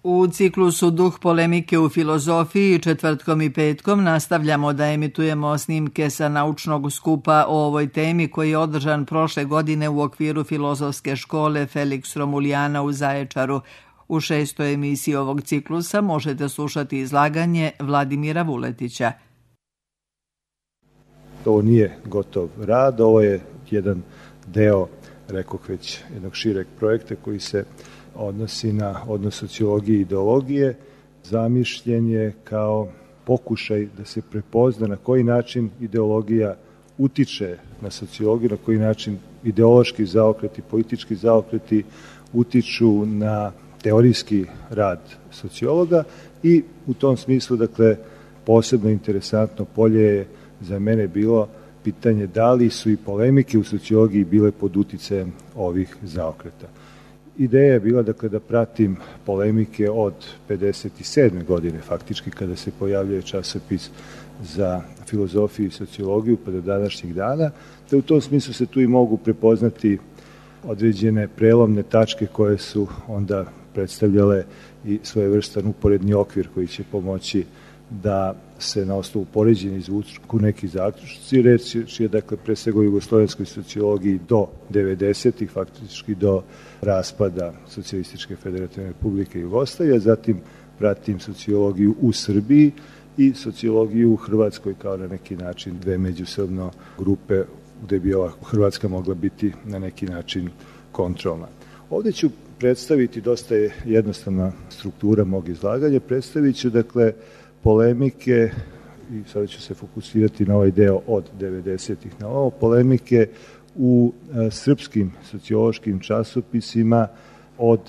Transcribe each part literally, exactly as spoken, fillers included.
U ciklusu Duh polemike u filozofiji četvrtkom i petkom nastavljamo da emitujemo snimke sa naučnog skupa o ovoj temi koji je održan prošle godine u okviru filozofske škole Felix Romulijana u Zaječaru. U šestoj emisiji ovog ciklusa možete slušati izlaganje Vladimira Vuletića. Ovo nije gotov rad, ovo je jedan deo, rekoh već, jednog šireg projekta koji se odnosi na odnos sociologije i ideologije. Zamišljen je kao pokušaj da se prepozna na koji način ideologija utiče na sociologiju, na koji način ideološki zaokreti, politički zaokreti utiču na teorijski rad sociologa i u tom smislu, dakle, posebno interesantno polje je za mene bilo pitanje da li su i polemike u sociologiji bile pod uticajem ovih zaokreta. Ideja je bila, dakle, da pratim polemike od pedeset sedme godine, faktički, kada se pojavljuje časopis za filozofiju i sociologiju, pa do današnjih dana, da u tom smislu se tu i mogu prepoznati određene prelomne tačke koje su onda predstavljale i svojevrstan uporedni okvir koji će pomoći da se na osnovu poređenja izvuku neki zaključci. Reč je, dakle, pre svega o jugoslovenskoj sociologiji do devedesetih, faktički do raspada Socijalističke federativne republike Jugoslavije, zatim pratim sociologiju u Srbiji i sociologiju u Hrvatskoj kao na neki način dve međusobno grupe gde bi ova Hrvatska mogla biti na neki način kontrolna. Ovdje ću predstaviti, dosta je jednostavna struktura mog izlaganja, predstavit ću, dakle, polemike, i sada ću se fokusirati na ovaj deo od devedesetih na ovo, polemike u e, srpskim sociološkim časopisima od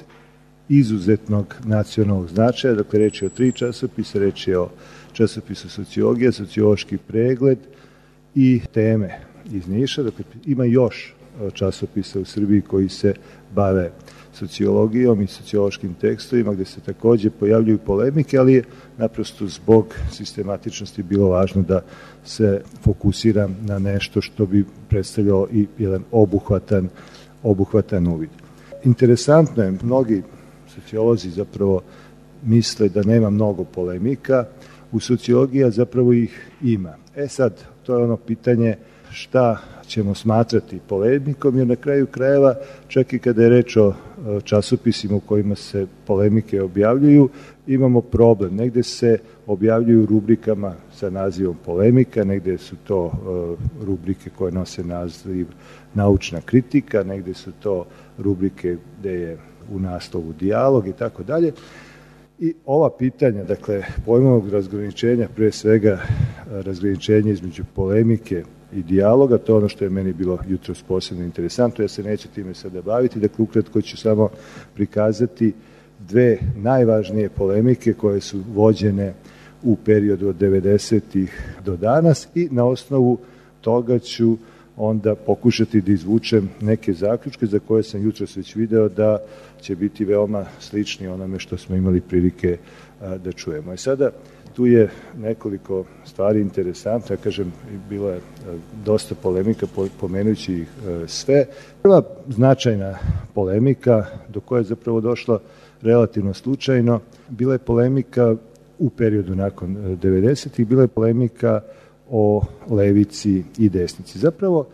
izuzetnog nacionalnog značaja, dakle reč je o tri časopisa, reč je o časopisu Sociologija, Sociološki pregled i Teme iz Niša. Dakle, ima još časopisa u Srbiji koji se bave sociologijom i sociološkim tekstovima gde se takođe pojavljuju polemike, ali je naprosto zbog sistematičnosti bilo važno da se fokusiram na nešto što bi predstavljalo i jedan obuhvatan, obuhvatan uvid. Interesantno je, mnogi sociolozi zapravo misle da nema mnogo polemika, u sociologiji zapravo ih ima. E sad, to je ono pitanje šta ćemo smatrati polemikom, jer na kraju krajeva, čak i kada je reč o časopisima u kojima se polemike objavljuju, imamo problem. Negde se objavljuju rubrikama sa nazivom polemika, negde su to rubrike koje nose naziv naučna kritika, negde su to rubrike gde je u naslovu dijalog i tako dalje. I ova pitanja, dakle, pojmovog razgraničenja, pre svega razgraničenja između polemike i dijaloga, to je ono što je meni bilo jutros posebno interesantno, ja se neću time sada baviti, dakle, ukratko ću samo prikazati dve najvažnije polemike koje su vođene u periodu od devedesetih do danas i na osnovu toga ću onda pokušati da izvučem neke zaključke za koje sam jutros već video da će biti veoma slični onome što smo imali prilike a, da čujemo. I sada tu je nekoliko stvari interesantno, ja kažem, bilo je dosta polemika, pomenući ih sve. Prva značajna polemika do koje je zapravo došla relativno slučajno, bila je polemika u periodu nakon devedesetih, bila je polemika o levici i desnici. Zapravo,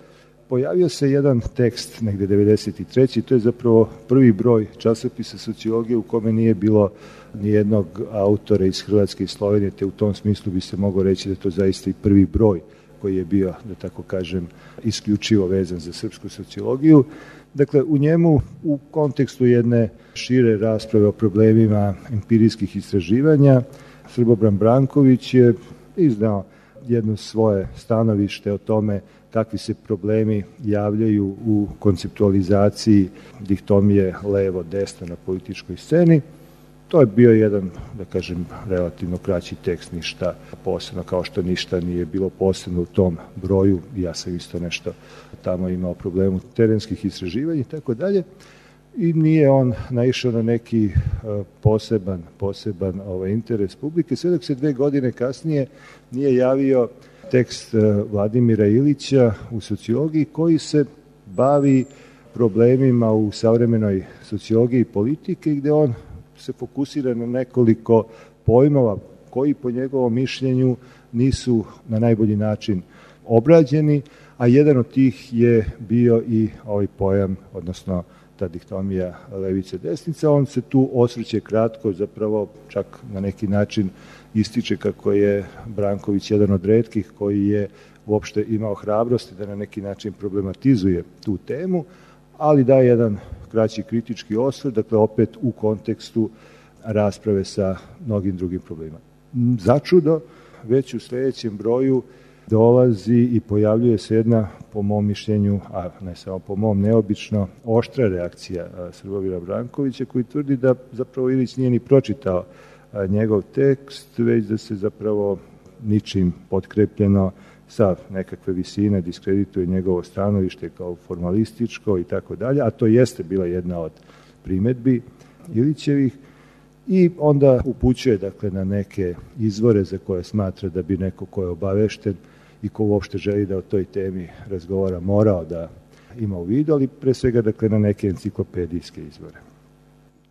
pojavio se jedan tekst negde devedeset treće. To je zapravo prvi broj časopisa sociologije u kome nije bilo nijednog autora iz Hrvatske i Slovenije, te u tom smislu bi se moglo reći da je to zaista i prvi broj koji je bio, da tako kažem, isključivo vezan za srpsku sociologiju. Dakle, u njemu, u kontekstu jedne šire rasprave o problemima empirijskih istraživanja, Srbobran Branković je iznao jedno svoje stanovište o tome kakvi se problemi javljaju u konceptualizaciji dihtomije levo-desno na političkoj sceni. To je bio jedan, da kažem, relativno kraći tekst, ništa posebno, kao što ništa nije bilo posebno u tom broju. Ja sam isto nešto tamo imao problemu terenskih istraživanja i tako dalje. I nije on naišao na neki poseban, poseban ovaj, interes publike, sve dok se dve godine kasnije nije javio tekst Vladimira Ilića u sociologiji koji se bavi problemima u savremenoj sociologiji i politike, gde on se fokusira na nekoliko pojmova koji po njegovom mišljenju nisu na najbolji način obrađeni, a jedan od tih je bio i ovaj pojam, odnosno ta dihtomija levice-desnica. On se tu osvrće kratko, zapravo čak na neki način ističe kako je Branković jedan od retkih koji je uopšte imao hrabrosti da na neki način problematizuje tu temu, ali daje jedan kraći kritički osvrt, dakle opet u kontekstu rasprave sa mnogim drugim problemima. Začudo, već u sledećem broju dolazi i pojavljuje se jedna, po mom mišljenju, a ne samo po mom, neobično oštra reakcija Srbomira Brankovića, koji tvrdi da zapravo Ilić nije ni pročitao njegov tekst, već da se zapravo ničim potkrepljeno sa nekakve visine diskredituje njegovo stanovište kao formalističko i tako dalje, a to jeste bila jedna od primetbi Ilićevih, i onda upućuje dakle na neke izvore za koje smatra da bi neko ko je obavešten i ko uopšte želi da o toj temi razgovara morao da ima u vidu, ali pre svega dakle na neke enciklopedijske izvore.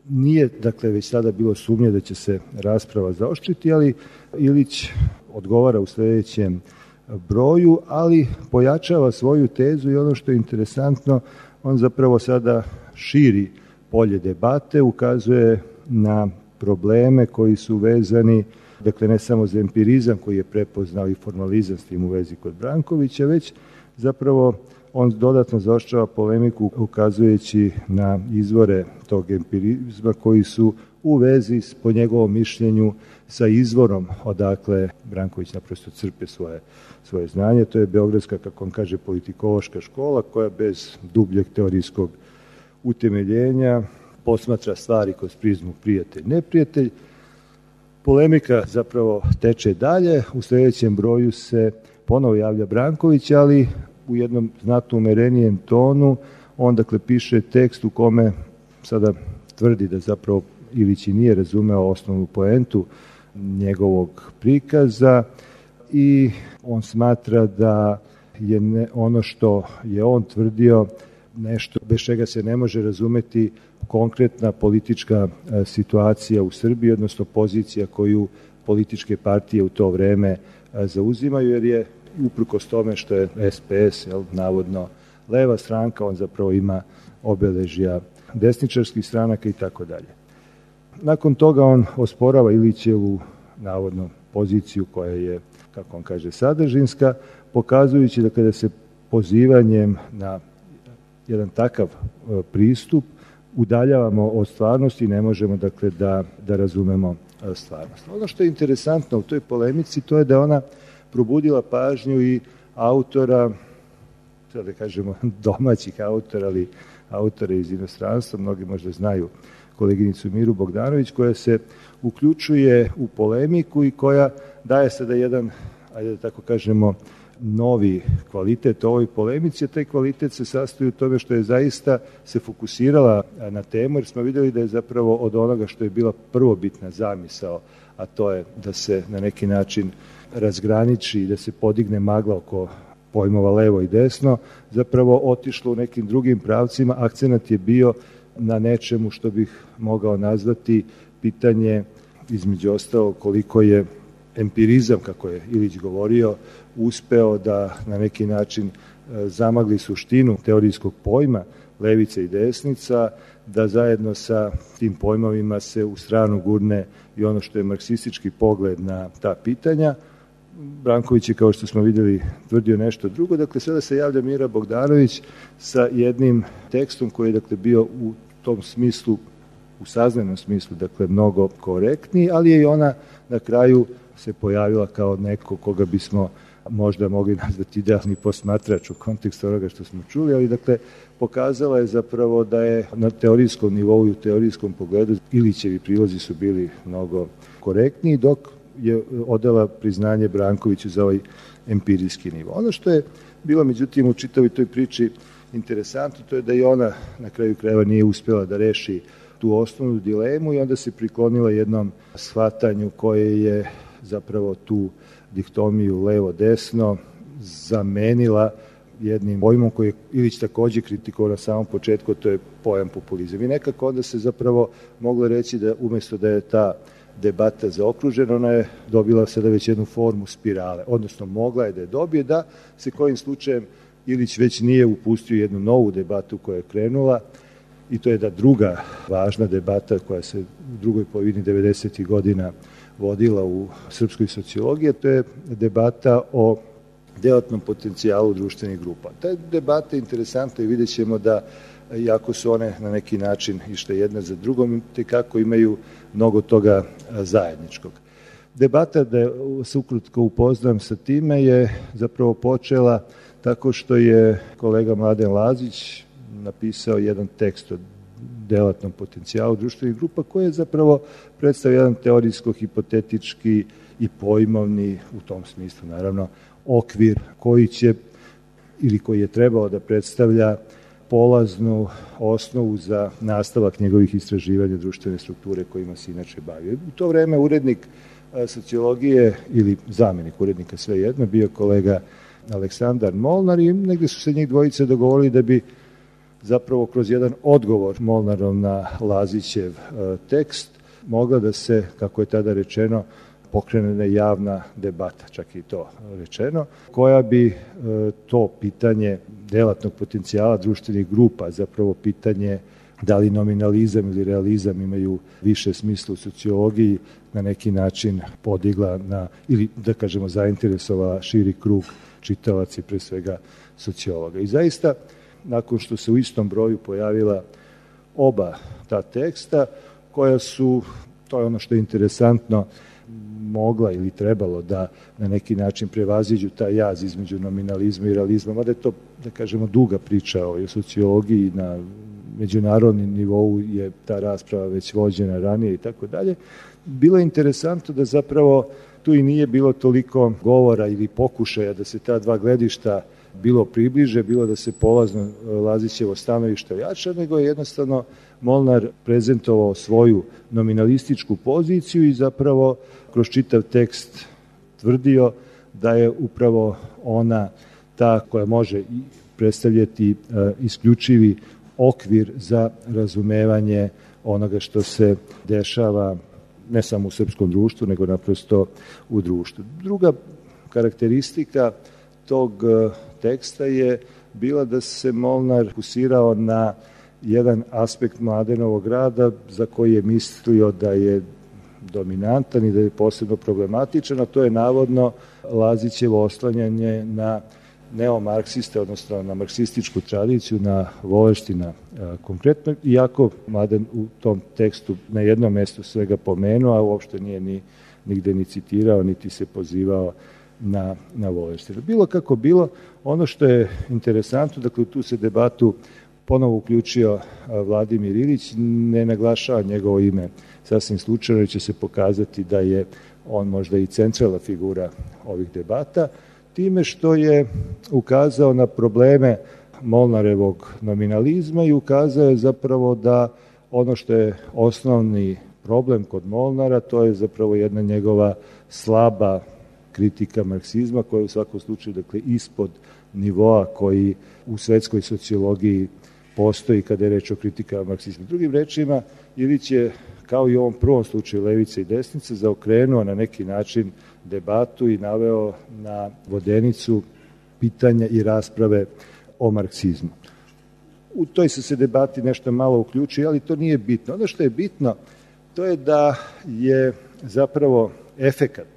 Nije dakle već sada bilo sumnje da će se rasprava zaoštriti, ali Ilić odgovara u sledećem broju, ali pojačava svoju tezu i ono što je interesantno, on zapravo sada širi polje debate, ukazuje na probleme koji su vezani, dakle ne samo za empirizam koji je prepoznao i formalizam s tim u vezi kod Brankovića, već zapravo on dodatno zaoštrava polemiku ukazujući na izvore tog empirizma koji su u vezi, po njegovom mišljenju, sa izvorom odakle Branković naprosto crpe svoje, svoje znanje. To je beogradska, kako on kaže, politikološka škola koja bez dubljeg teorijskog utemeljenja posmatra stvari kroz prizmu prijatelj-neprijatelj. Polemika zapravo teče dalje, u sledećem broju se ponovo javlja Branković, ali u jednom znatno umerenijem tonu. On dakle piše tekst u kome sada tvrdi da zapravo Ilić i nije razumeo osnovnu poentu njegovog prikaza i on smatra da je ne, ono što je on tvrdio nešto bez čega se ne može razumeti konkretna politička situacija u Srbiji, odnosno pozicija koju političke partije u to vreme zauzimaju, jer je uprkos tome što je es pe es jel, navodno leva stranka, on zapravo ima obeležja desničarskih stranaka i tako dalje. Nakon toga on osporava Ilićevu navodno poziciju koja je, kako on kaže, sadržinska, pokazujući da kada se pozivanjem na jedan takav pristup udaljavamo od stvarnosti i ne možemo dakle da, da razumemo stvarnost. Ono što je interesantno u toj polemici to je da ona probudila pažnju i autora, da kažemo domaćih autora, ali autora iz inostranstva, mnogi možda znaju koleginicu Miru Bogdanović, koja se uključuje u polemiku i koja daje sada jedan, ajde da tako kažemo, novi kvalitet ovoj polemici, a taj kvalitet se sastoji u tome što je zaista se fokusirala na temu, jer smo videli da je zapravo od onoga što je bila prvobitna zamisao, a to je da se na neki način razgraniči i da se podigne magla oko pojmova levo i desno, zapravo otišlo u nekim drugim pravcima. Akcenat je bio na nečemu što bih mogao nazvati pitanje, između ostalo, koliko je empirizam, kako je Ilić govorio, uspeo da na neki način zamagli suštinu teorijskog pojma levica i desnica, da zajedno sa tim pojmovima se u stranu gurne i ono što je marksistički pogled na ta pitanja. Branković je, kao što smo vidjeli, tvrdio nešto drugo. Dakle, sada se javlja Mira Bogdanović sa jednim tekstom koji je dakle, bio u tom smislu, u saznanom smislu, dakle, mnogo korektniji, ali je i ona na kraju se pojavila kao neko koga bismo možda mogli nazvati idealni posmatrač u kontekstu onoga što smo čuli, ali dakle pokazala je zapravo da je na teorijskom nivou i u teorijskom pogledu Ilićevi prilozi su bili mnogo korektniji, dok je odala priznanje Brankoviću za ovaj empirijski nivo. Ono što je bilo međutim u čitavoj toj priči interesantno, to je da i ona na kraju krajeva nije uspjela da reši tu osnovnu dilemu i onda se priklonila jednom shvatanju koje je zapravo tu dihtomiju levo-desno zamenila jednim pojmom koji je Ilić također kritikovao na samom početku, to je pojam populizam. I nekako onda se zapravo moglo reći da umjesto da je ta debata zaokružena, ona je dobila sada već jednu formu spirale, odnosno mogla je da je dobije, da se kojim slučajem Ilić već nije upustio jednu novu debatu koja je krenula, i to je da druga važna debata koja se u drugoj polovini devedesetih godina vodila u srpskoj sociologiji, to je debata o delatnom potencijalu društvenih grupa. Ta debata je interesantna i vidjet ćemo da, iako su one na neki način išle jedna za drugom, tekako imaju mnogo toga zajedničkog. Debata, da se ukratko upoznam sa time, je zapravo počela tako što je kolega Mladen Lazić napisao jedan tekst o delatnom potencijalu društvenih grupa koji je zapravo predstavio jedan teorijsko-hipotetički i pojmovni, u tom smislu naravno, okvir koji će ili koji je trebao da predstavlja polaznu osnovu za nastavak njegovih istraživanja društvene strukture kojima se inače bavio. U to vreme urednik sociologije ili zamjenik urednika, svejedno, bio kolega Aleksandar Molnar i negde su se njih dvojice dogovorili da bi zapravo kroz jedan odgovor Molnarov na Lazićev tekst mogla da se, kako je tada rečeno, pokrene javna debata, čak i to rečeno, koja bi to pitanje delatnog potencijala društvenih grupa, zapravo pitanje da li nominalizam ili realizam imaju više smisla u sociologiji, na neki način podigla na, ili da kažemo zainteresovala širi krug čitalaca i pre svega sociologa. I zaista, nakon što se u istom broju pojavila oba ta teksta, koja su, to je ono što je interesantno, mogla ili trebalo da na neki način prevaziđu taj jaz između nominalizma i realizma, mada je to, da kažemo, duga priča o sociologiji, na međunarodnom nivou je ta rasprava već vođena ranije i tako dalje. Bilo je interesantno da zapravo tu i nije bilo toliko govora ili pokušaja da se ta dva gledišta bilo približe, bilo da se polazno Lazićevo stanovište ojača, nego je jednostavno Molnar prezentovao svoju nominalističku poziciju i zapravo kroz čitav tekst tvrdio da je upravo ona ta koja može predstavljati isključivi okvir za razumevanje onoga što se dešava ne samo u srpskom društvu, nego naprosto u društvu. Druga karakteristika tog teksta je bila da se Molnar fokusirao na jedan aspekt Mladenovog rada za koji je mislio da je dominantan i da je posebno problematičan, a to je navodno Lazićevo oslanjanje na neomarksiste, odnosno na marksističku tradiciju, na Volenština konkretno, iako Mladen u tom tekstu na jednom mestu svega pomenuo, a uopšte nije ni, nigde ni citirao, niti se pozivao na, na Volenština. Bilo kako bilo, ono što je interesantno, dakle u tu se debatu ponovo uključio Vladimir Ilić, ne naglašava njegovo ime sasvim slučajno, jer će se pokazati da je on možda i centralna figura ovih debata, time što je ukazao na probleme Molnarevog nominalizma i ukazao je zapravo da ono što je osnovni problem kod Molnara, to je zapravo jedna njegova slaba kritika marksizma, koja je u svakom slučaju, dakle, ispod nivoa koji u svetskoj sociologiji postoji kada je reč o kritikama marksizma. Drugim rečima, Ilić je, kao i u ovom prvom slučaju levice i desnice, zaokrenuo na neki način debatu i naveo na vodenicu pitanja i rasprave o marksizmu. U toj se se debati nešto malo uključuje, ali to nije bitno. Ono što je bitno, to je da je zapravo efekat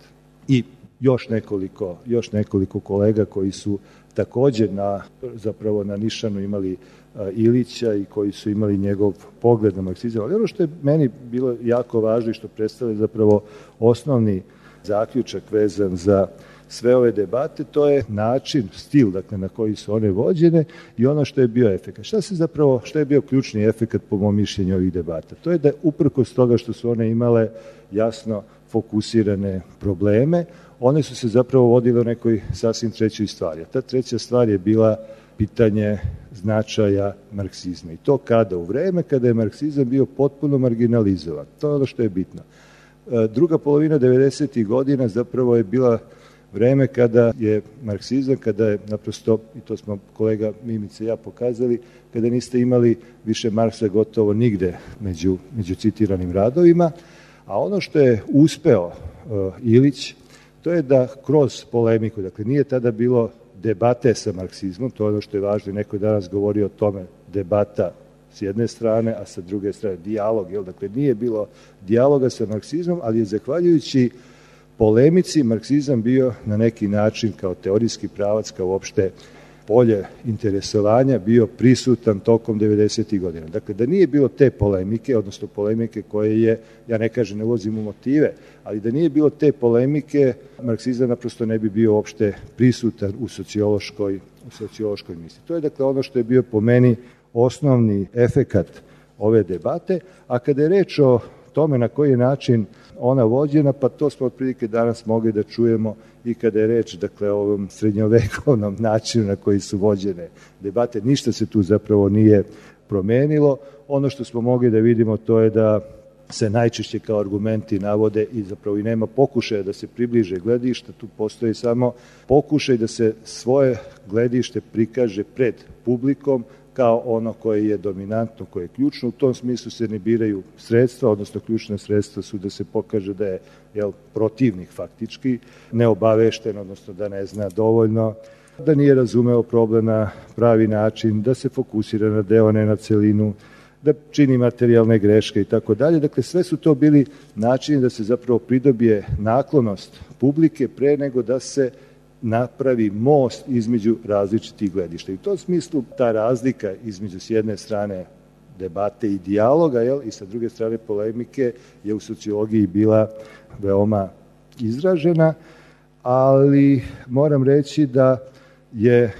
i još nekoliko, još nekoliko kolega koji su također na, zapravo na nišanu imali a, Ilića i koji su imali njegov pogled na marksizam. Ali ono što je meni bilo jako važno i što predstavlja zapravo osnovni zaključak vezan za sve ove debate, to je način, stil, dakle, na koji su one vođene i ono što je bio efekat. Šta se zapravo, šta je bio ključni efekat po mom mišljenju ovih debata? To je da uprkos toga što su one imale jasno fokusirane probleme, one su se zapravo vodile o nekoj sasvim trećoj stvari. A ta treća stvar je bila pitanje značaja marksizma. I to kada? U vreme kada je marksizam bio potpuno marginalizovan. To je ono što je bitno. Druga polovina devedesetih godina zapravo je bila vreme kada je marksizam, kada je naprosto, i to smo kolega Mimica i ja pokazali, kada niste imali više Marksa gotovo nigde među, među citiranim radovima, a ono što je uspeo uh, Ilić, to je da kroz polemiku, dakle nije tada bilo debate sa marksizmom, to je ono što je važno, neko je danas govorio o tome, debata s jedne strane, a sa druge strane dijalog, jel? Dakle nije bilo dijaloga sa marksizmom, ali je zahvaljujući polemici marksizam bio na neki način kao teorijski pravac, kao uopšte polje interesovanja bio prisutan tokom devedesetih godina. Dakle, da nije bilo te polemike, odnosno polemike koje je, ja ne kažem, ne ulazim u motive, ali da nije bilo te polemike, marksizam naprosto ne bi bio uopšte prisutan u sociološkoj, u sociološkoj misli. To je dakle ono što je bio po meni osnovni efekat ove debate, a kada je reč o tome na koji način ona vođena, pa to smo otprilike danas mogli da čujemo i kada je reč, dakle, o ovom srednjovekovnom načinu na koji su vođene debate. Ništa se tu zapravo nije promenilo. Ono što smo mogli da vidimo to je da se najčešće kao argumenti navode i zapravo i nema pokušaja da se približe gledišta, tu postoji samo pokušaj da se svoje gledište prikaže pred publikom kao ono koje je dominantno, koje je ključno. U tom smislu se ne biraju sredstva, odnosno ključna sredstva su da se pokaže da je jel, protivnik faktički neobavešten, odnosno da ne zna dovoljno, da nije razumeo problem na pravi način, da se fokusira na deo, ne na celinu, da čini materijalne greške i tako dalje. Dakle, sve su to bili načini da se zapravo pridobije naklonost publike pre nego da se napravi most između različitih gledišta. I u tom smislu ta razlika između s jedne strane debate i dijaloga, jel, i sa druge strane polemike je u sociologiji bila veoma izražena, ali moram reći da je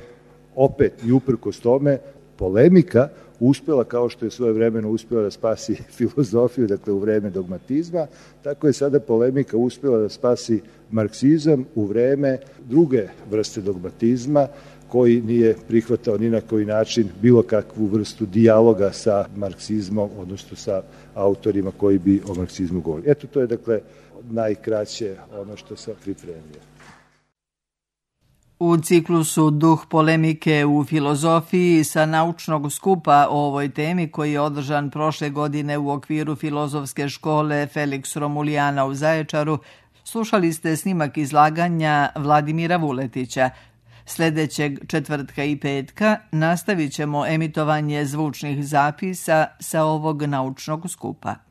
opet i uprkos tome polemika uspela, kao što je svoje vremeno uspela da spasi filozofiju, dakle u vreme dogmatizma, tako je sada polemika uspela da spasi marksizam u vreme druge vrste dogmatizma, koji nije prihvatao ni na koji način bilo kakvu vrstu dijaloga sa marksizmom, odnosno sa autorima koji bi o marksizmu govorili. Eto, to je dakle najkraće ono što sam pripremio. U ciklusu Duh polemike u filozofiji sa naučnog skupa o ovoj temi koji je održan prošle godine u okviru filozofske škole Felix Romulijana u Zaječaru, slušali ste snimak izlaganja Vladimira Vuletića. Sljedećeg četvrtka i petka nastavit ćemo emitovanje zvučnih zapisa sa ovog naučnog skupa.